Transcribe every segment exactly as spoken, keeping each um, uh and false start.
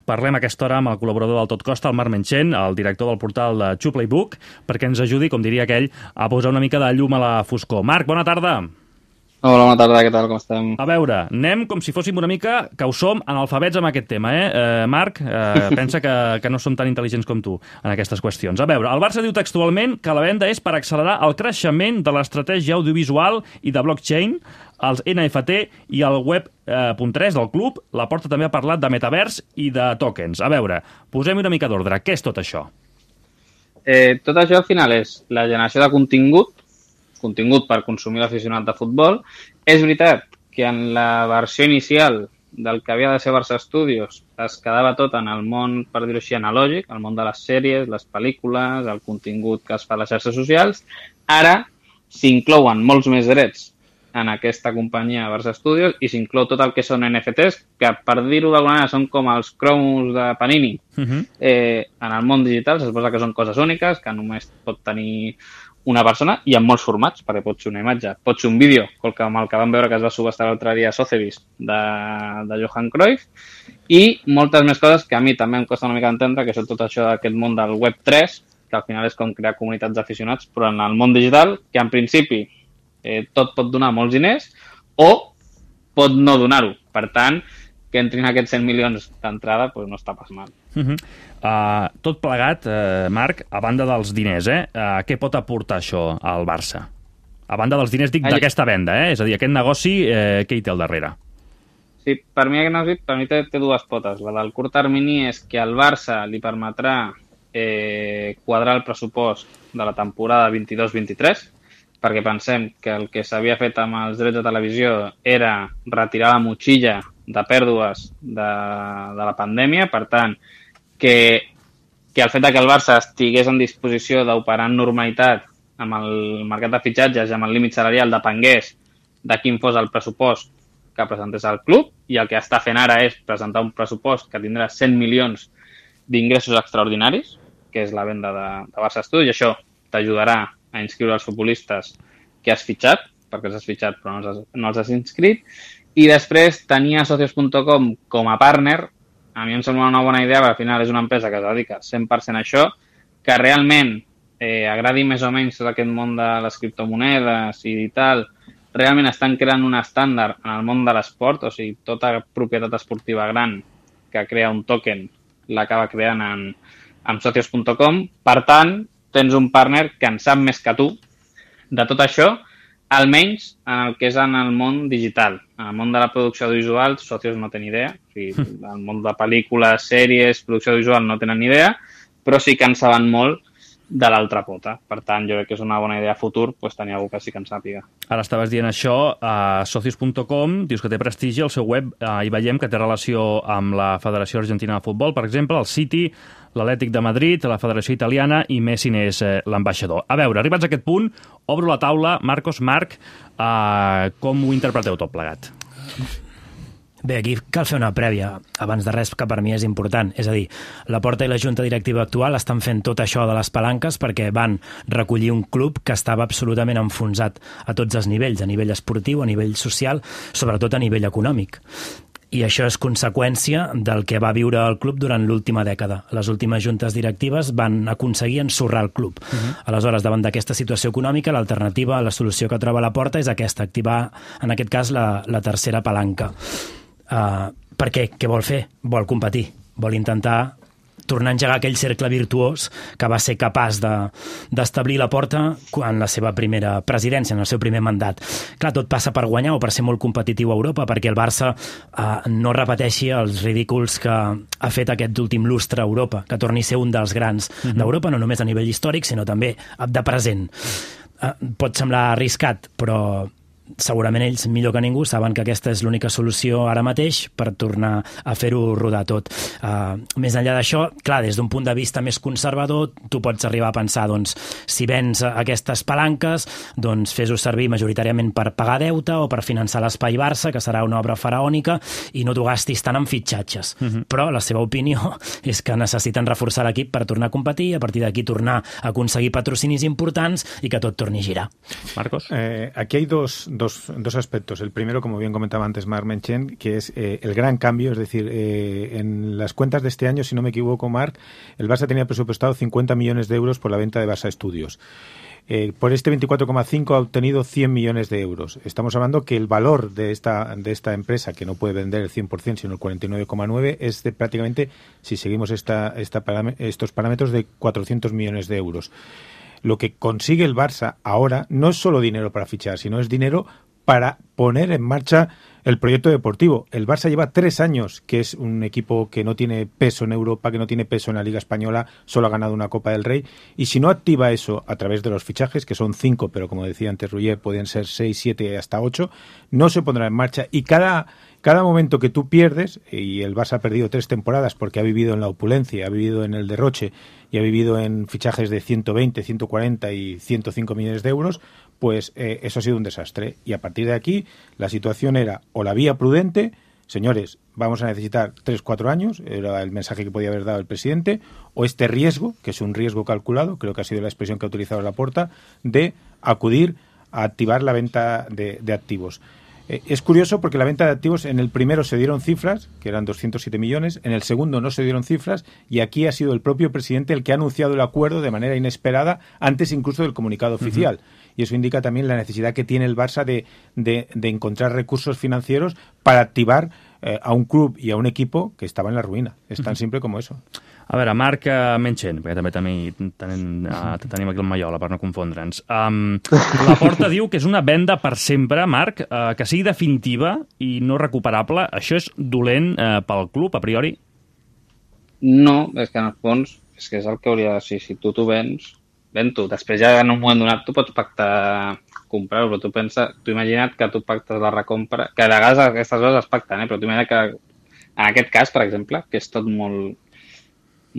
parlem a aquesta hora amb el col·laborador del Tot Costa, el Marc Menchen, el director del portal de Two Playbook, perquè ens ajudi, com diria aquell, a posar una mica de llum a la foscor. Marc, bona tarda. Hola, bona tarda, què tal, com estem? A veure, anem com si fóssim una mica, que ho som, analfabets amb aquest tema, eh? eh Marc, eh, pensa que, que no som tan intel·ligents com tu en aquestes qüestions. A veure, el Barça diu textualment que la venda és per accelerar el creixement de l'estratègia audiovisual i de blockchain, els N F T i el web punt tres del club. La Porta també ha parlat de metavers i de tokens. A veure, posem una mica d'ordre. Què és tot això? Eh, tot això al final és la generació de contingut, contingut per consumir l'aficionat de futbol. És veritat que en la versió inicial del que havia de ser Barça Studios es quedava tot en el món, per dir-ho així, analògic, el món de les sèries, les pel·lícules, el contingut que es fa a les xarxes socials. Ara s'inclouen molts més drets en aquesta companyia Barça Studios i s'inclou tot el que són N F Ts, que per dir-ho d'alguna manera són com els cromos de Panini. Uh-huh. eh, en el món digital se suposa que són coses úniques, que només pot tenir una persona i en molts formats, perquè pot ser una imatge, pot ser un vídeo, com el que vam veure que es va subestar l'altre dia a Sotheby's de, de Johan Cruyff, i moltes més coses que a mi també em costa una mica entendre, que són tot això d'aquest món del web tres, que al final és com crear comunitats d'aficionats, però en el món digital, que en principi eh, tot pot donar molts diners o pot no donar-ho. Per tant, que entrin aquests cent milions d'entrada doncs no està pas mal. Uh-huh. uh, tot plegat, uh, Marc, a banda dels diners, eh? Uh, què pot aportar això al Barça? A banda dels diners, dic, d'aquesta venda, eh? És a dir, aquest negoci, eh, què hi té al darrere? Sí, per mi aquest negoci per mi té, té dues potes. La del curt termini és que al Barça li permetrà eh, quadrar el pressupost de la temporada vint-i-dos vint-i-tres, perquè pensem que el que s'havia fet amb els drets de televisió era retirar la motxilla de pèrdues de, de la pandèmia. Per tant, que, que el fet que el Barça estigués en disposició d'operar en normalitat amb el mercat de fitxatges i amb el límit salarial depengués de quin fos el pressupost que presentés el club, i el que està fent ara és presentar un pressupost que tindrà cent milions d'ingressos extraordinaris, que és la venda de, de Barça Studios, i això t'ajudarà a inscriure els futbolistes que has fitxat, perquè els has fitxat però no els has, no els has inscrit. I després tenia Socios punt com com a partner. A mi em sembla una bona idea, perquè al final és una empresa que es dedica cent per cent a això, que realment eh, agradi més o menys tot aquest món de les criptomonedes i tal. Realment estan creant un estàndard en el món de l'esport, o sigui, tota propietat esportiva gran que crea un token l'acaba creant en, en Socios punt com. Per tant, tens un partner que en sap més que tu de tot això, almenys en el que és en el món digital. En el món de la producció audiovisual, Socios no té ni idea. O sigui, el món de pel·lícules, sèries, producció audiovisual no tenen ni idea, però sí que en saben molt de l'altra pota. Per tant, jo crec que és una bona idea a futur pues, tenir algú que sí que en sàpiga. Ara estaves dient això, a Socios punt com, dius que té prestigi, el seu web, eh, hi veiem que té relació amb la Federació Argentina de Futbol, per exemple, el City, l'Atlètic de Madrid, la Federació Italiana, i Messi n'és eh, l'ambaixador. A veure, arribats a aquest punt, obro la taula. Marcos, Marc, eh, com ho interpreteu tot plegat? Bé, aquí cal fer una prèvia, abans de res, que per mi és important. És a dir, la Porta i la Junta Directiva actual estan fent tot això de les palanques perquè van recollir un club que estava absolutament enfonsat a tots els nivells, a nivell esportiu, a nivell social, sobretot a nivell econòmic. I això és conseqüència del que va viure el club durant l'última dècada. Les últimes juntes directives van aconseguir ensorrar el club. Uh-huh. Aleshores, davant d'aquesta situació econòmica, l'alternativa, la solució que troba la Porta és aquesta, activar, en aquest cas, la, la tercera palanca. Uh, per què? Què vol fer? Vol competir. Vol intentar tornar a engegar aquell cercle virtuós que va ser capaç de, d'establir la Porta en la seva primera presidència, en el seu primer mandat. Clar, tot passa per guanyar o per ser molt competitiu a Europa, perquè el Barça uh, no repeteixi els ridículs que ha fet aquest últim lustre a Europa, que torni a ser un dels grans uh-huh. d'Europa, no només a nivell històric, sinó també de present. Uh, pot semblar arriscat, però segurament ells, millor que ningú, saben que aquesta és l'única solució ara mateix per tornar a fer-ho rodar tot. Uh, més enllà d'això, clar, des d'un punt de vista més conservador, tu pots arribar a pensar, doncs, si vens aquestes palanques, doncs fes-ho servir majoritàriament per pagar deute o per finançar l'Espai Barça, que serà una obra faraònica, i no t'ho gastis tant en fitxatges. Uh-huh. Però la seva opinió és que necessiten reforçar l'equip per tornar a competir, a partir d'aquí tornar a aconseguir patrocinis importants i que tot torni a girar. Marcos? Eh, aquí hay dos dos, dos aspectos. El primero, como bien comentaba antes Marc Menchen, que es eh, el gran cambio, es decir, eh, en las cuentas de este año, si no me equivoco, Marc, el Barça tenía presupuestado cincuenta millones de euros por la venta de Barça Studios. Eh, por este veinticuatro coma cinco ha obtenido cien millones de euros. Estamos hablando que el valor de esta de esta empresa, que no puede vender el cien por ciento, sino el cuarenta y nueve coma nueve, es de prácticamente, si seguimos esta, esta param- estos parámetros, de cuatrocientos millones de euros. Lo que consigue el Barça ahora no es solo dinero para fichar, sino es dinero para poner en marcha el proyecto deportivo. El Barça lleva tres años, que es un equipo que no tiene peso en Europa, que no tiene peso en la Liga Española, solo ha ganado una Copa del Rey, y si no activa eso a través de los fichajes, que son cinco, pero como decía antes Roger, pueden ser seis, siete, hasta ocho, no se pondrá en marcha. Y cada, cada momento que tú pierdes, y el Barça ha perdido tres temporadas porque ha vivido en la opulencia, ha vivido en el derroche, y ha vivido en fichajes de ciento veinte, ciento cuarenta y ciento cinco millones de euros, pues eh, eso ha sido un desastre. Y a partir de aquí, la situación era o la vía prudente, señores, vamos a necesitar tres, cuatro años, era el mensaje que podía haber dado el presidente, o este riesgo, que es un riesgo calculado, creo que ha sido la expresión que ha utilizado Laporta, de acudir a activar la venta de, de activos. Eh, es curioso porque la venta de activos, en el primero se dieron cifras, que eran doscientos siete millones, en el segundo no se dieron cifras, y aquí ha sido el propio presidente el que ha anunciado el acuerdo de manera inesperada, antes incluso del comunicado oficial. Uh-huh. Y eso indica también la necesidad que tiene el Barça de, de, de encontrar recursos financieros para activar eh, a un club i a un equipo que estava en la ruïna. És tan simple com eso. A veure, Marc Menchen, perquè també tenim, tenim, uh, tenim aquí el Maiola, per no confondre'ns. Um, Laporta diu que és una venda per sempre, Marc, uh, que sigui definitiva i no recuperable. Això és dolent uh, pel club, a priori? No, és que en el fons és que és el que hauria de ser. Si tu t'ho vens, ven-t'ho. Després ja en un moment donat tu pots pactar comprar-ho, però tu pensa, tu imagina't que tu pactes la recompra, que de vegades aquestes coses es pacten, eh? Però tu imagina't que en aquest cas, per exemple, que és tot molt,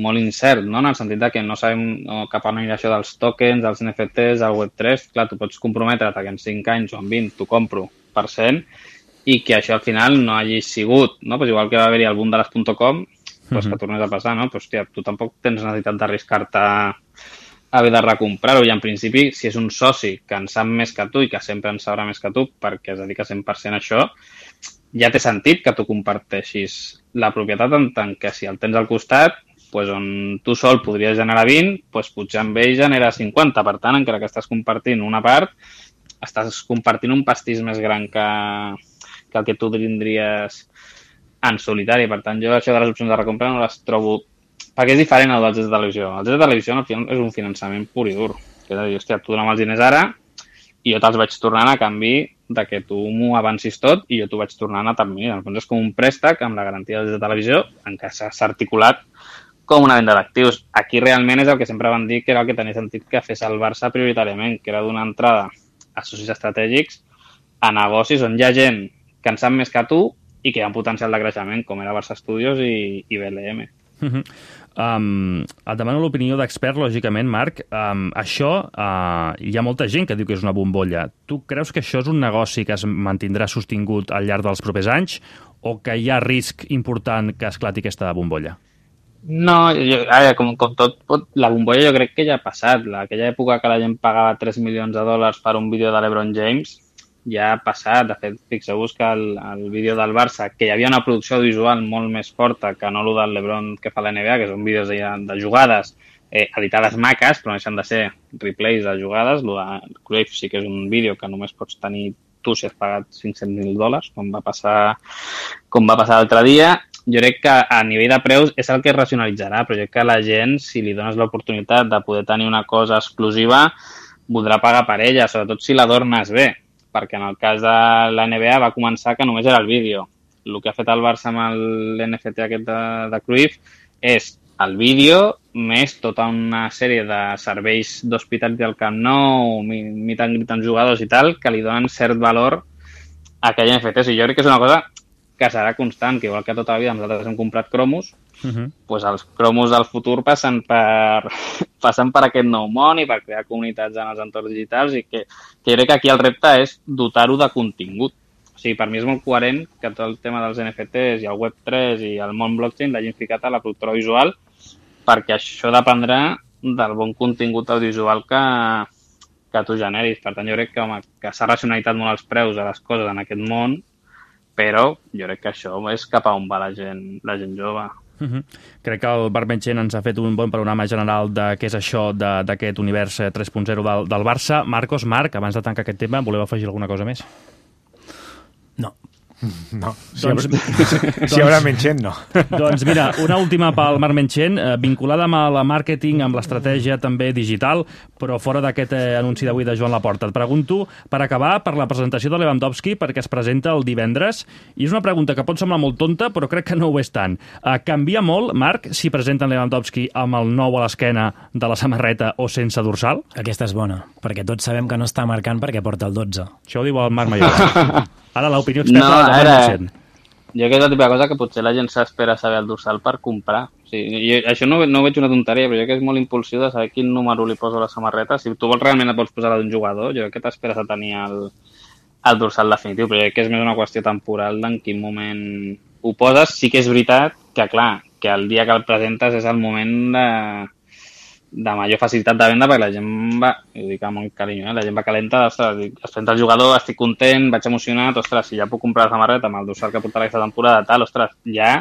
molt incert, no? En el sentit de que no sabem no, cap a on anirà això dels tokens, dels N F Ts, del web tres, clar, tu pots comprometre't que en cinc anys o en vint t'ho compro per cent i que això al final no hagi sigut, no? Pues igual que va haver-hi el boom de les .com, pues que tornés a passar, no? Pues, hòstia, tu tampoc tens necessitat d'arriscar-te a haver de recomprar-ho, i en principi, si és un soci que en sap més que tu i que sempre en sabrà més que tu perquè es dedica cent per cent a això, ja té sentit que tu comparteixis la propietat, en tant que si el tens al costat, pues on tu sol podries generar vint, pues potser amb ell genera cinquanta. Per tant, encara que estàs compartint una part, estàs compartint un pastís més gran que, que el que tu tindries en solitari. Per tant, jo això de les opcions de recompra no les trobo... Perquè és diferent al dels drets de televisió. El dret de televisió al final és un finançament pur i dur. És a dir, hòstia, tu dona'm els diners ara i jo te'ls vaig tornant a canvi de que tu m'ho avancis tot i jo t'ho vaig tornant a termini. En el fons és com un préstec amb la garantia dels drets de televisió en què s'ha articulat com una venda d'actius. Aquí realment és el que sempre van dir que era el que tenia sentit que fes el Barça prioritàriament, que era donar entrada a socis estratègics a negocis on hi ha gent que en sap més que tu i que hi ha un potencial de creixement, com era Barça Studios i, i B L M. Uh-huh. Um, et demano l'opinió d'expert, lògicament, Marc. Um, això, uh, hi ha molta gent que diu que és una bombolla. Tu creus que això és un negoci que es mantindrà sostingut al llarg dels propers anys o que hi ha risc important que esclati aquesta bombolla? No, jo, ara, com, com tot, pot, la bombolla jo crec que ja ha passat. La, aquella època que la gent pagava tres milions de dòlars per un vídeo de l'Ebron James ja ha passat. De fet, fixeu-vos que el, el vídeo del Barça, que hi havia una producció visual molt més forta que no el del LeBron que fa la N B A, que són vídeos de, de jugades eh, editades maques, però no deixen de ser replays de jugades. El de Cruyff sí que és un vídeo que només pots tenir tu si has pagat cinc-cents mil dòlars, com va passar com va passar l'altre dia. Jo crec que a nivell de preus és el que es racionalitzarà, però jo crec que la gent, si li dones l'oportunitat de poder tenir una cosa exclusiva, voldrà pagar per ella, sobretot si l'adornes bé, perquè en el cas de la N B A va començar que només era el vídeo. El que ha fet el Barça amb l'N F T aquest de, de Cruyff és el vídeo més tota una sèrie de serveis d'hospitalitat del Camp Nou, meet and greet amb jugadors i tal, que li donen cert valor a aquell N F T. O sigui, jo crec que és una cosa que serà constant, que igual que tota la vida nosaltres hem comprat cromos, uh-huh. Pues els cromos del futur passen per, passen per aquest nou món i per crear comunitats en els entorns digitals i que, que jo crec que aquí el repte és dotar-ho de contingut. O sigui, per mi és molt coherent que tot el tema dels N F Ts i el web tres i el món blockchain l'hagin ficat a la productora visual perquè això dependrà del bon contingut audiovisual que, que tu generis. Per tant, jo crec que, home, que s'ha racionalitzat molt els preus de les coses en aquest món, però jo crec que això és cap a on va la gent, la gent jove. Uh -huh. Crec que el Marc Menchen ens ha fet un bon panorama general de què és això d'aquest univers tres punt zero del, del Barça. Marcos, Marc, abans de tancar aquest tema, voleu afegir alguna cosa més? No. No, si, Doncs- habrà, si, si haurà Menchen, no. Doncs mira, una última pel Marc Menchen, eh, vinculada amb el màrqueting, amb l'estratègia també digital, però fora d'aquest eh, anunci d'avui de Joan Laporta. Et pregunto, per acabar, per la presentació de Lewandowski, perquè es presenta el divendres, i és una pregunta que pot semblar molt tonta, però crec que no ho és tant. Eh, canvia molt, Marc, si presenten Lewandowski amb el nou a l'esquena de la samarreta o sense dorsal? Aquesta és bona, perquè tots sabem que no està marcant perquè porta el dotze. Això ho diu el Marc Mallorca. Ara l'opinió experta No, del Marc ara- Menchen. Jo crec que és la típica cosa que potser la gent s'espera saber el dorsal per comprar. O sigui, jo, això no, no ho veig una tonteria, però jo crec que és molt impulsiu de saber quin número li poso a la samarreta. Si tu vols realment et vols posar la d'un jugador, jo crec que t'esperes a tenir el, el dorsal definitiu, però jo crec que és més una qüestió temporal d'en quin moment ho poses. Sí que és veritat que, clar, que el dia que el presentes és el moment de, de major facilitat de venda, perquè la gent va, ho dic amb molt carinyo, eh? La gent va calenta, ostres, dic, es presenta el jugador, estic content, vaig emocionat, ostres, si ja puc comprar la samarreta amb el dorsal que portarà aquesta temporada, tal, ostres, ja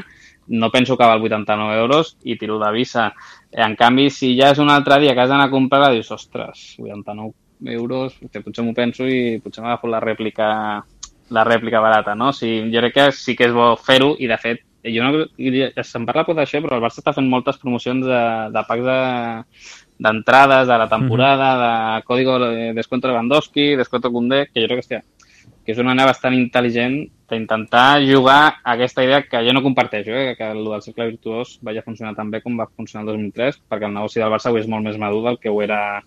no penso que val vuitanta-nou euros i tiro de visa. En canvi, si ja és un altre dia que has d'anar a comprar-la, dius, ostres, vuitanta-nou euros, que potser m'ho penso i potser m'agafo la rèplica, la rèplica barata, no? O sigui, jo crec que sí que és bo fer-ho i, de fet, jo no, se'n parla pot d'això, però el Barça està fent moltes promocions de, de packs de, d'entrades de la temporada, de código de descuento Lewandowski, descuento Koundé, que jo crec que, hòstia, que és una manera bastant intel·ligent d'intentar jugar a aquesta idea que jo no comparteixo, eh? Que el del cercle virtuós vagi a funcionar tan bé com va funcionar el dos mil tres, perquè el negoci del Barça avui és molt més madur del que ho era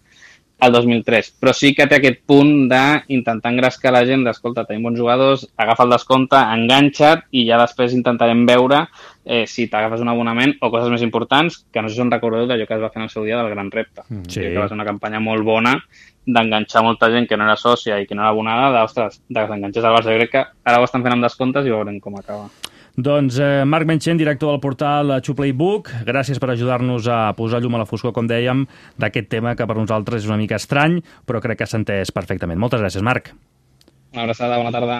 el dos mil tres, però sí que té aquest punt d'intentar engrescar la gent d'escolta, tenim bons jugadors, agafa el descompte, enganxa't i ja després intentarem veure eh, si t'agafes un abonament o coses més importants, que no sé si us recordeu d'allò que es va fer en el seu dia del Gran Repte. Sí. Que va ser una campanya molt bona d'enganxar molta gent que no era sòcia i que no era abonada, d'ostres, de que s'enganxés al Barça. Jo crec que ara ho estan fent amb descomptes i veurem com acaba. Doncs eh, Marc Menchen, director del portal Xuplaybook, gràcies per ajudar-nos a posar llum a la foscor, com dèiem, d'aquest tema que per nosaltres és una mica estrany, però crec que s'ha entès perfectament. Moltes gràcies, Marc. Una abraçada, bona tarda.